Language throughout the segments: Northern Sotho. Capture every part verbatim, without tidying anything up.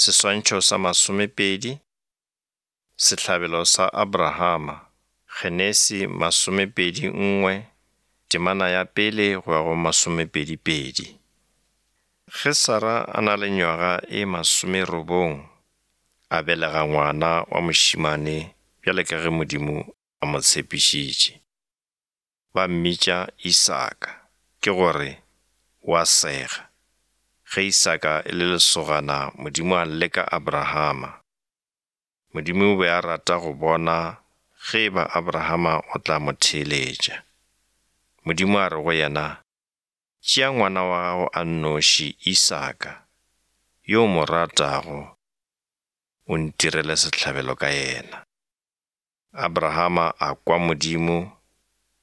Seswantšho sa masomepedi, Sehlabelo sa Abrahama, Genesi masomepedi nngwe, temana ya pele go ya go masomepedi pedi. Ge Sara a na le nywaga e masomerobong, a belega ngwana wa mošemane bjale ka ge Modimo a mo tshepišitše. Ba mmitša Isaka, ke gore, o a sega. Ge Isaka e le lesogana Modimo a leka Abrahama. Modimo o be a rata go bona ge e ba Abrahama o tla mo theeletša. Modimo a re go yena, Tšea ngwana wa gago a nnoši Isaka, yo o mo ratago, o ntirele sehlabelo ka yena. Abrahama a kwa Modimo,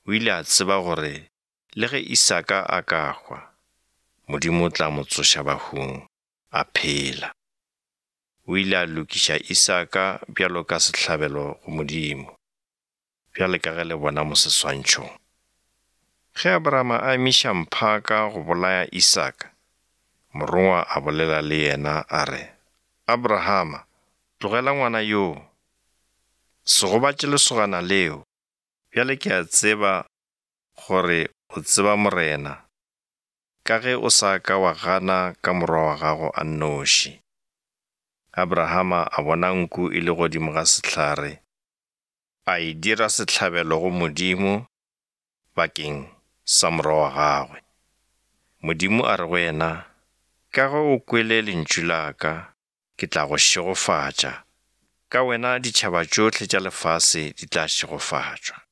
o ile a tseba gore le ge Isaka a ka hwa, Modimo o tla mo tsoša bahung, a phela. O ile a lokiša Isaka bjalo ka sehlabelo go Modimo, bjale ka ge le bona mo seswantšhong. Ge Abrahama a emiša mphaka go bolaya Isaka, morongwa a bolela le yena a re, Abrahama, tlogela ngwana yoo, se gobatše lesogana leo. Bjale ke a tseba gore o tseba Morena, ka ge o sa ka wa gana ka morwa wa gago a nnoši. Abrahama a bona nku e le godimo ga sehlare, a e dira sehlabelo go Modimo bakeng sa morwa wa gagwe. Modimo a re go yena, Ka ge o kwele lentšu la ka, ke tla go šegofatša, ka wena ditšhaba tšohle tša lefase di tla šegofatšwa.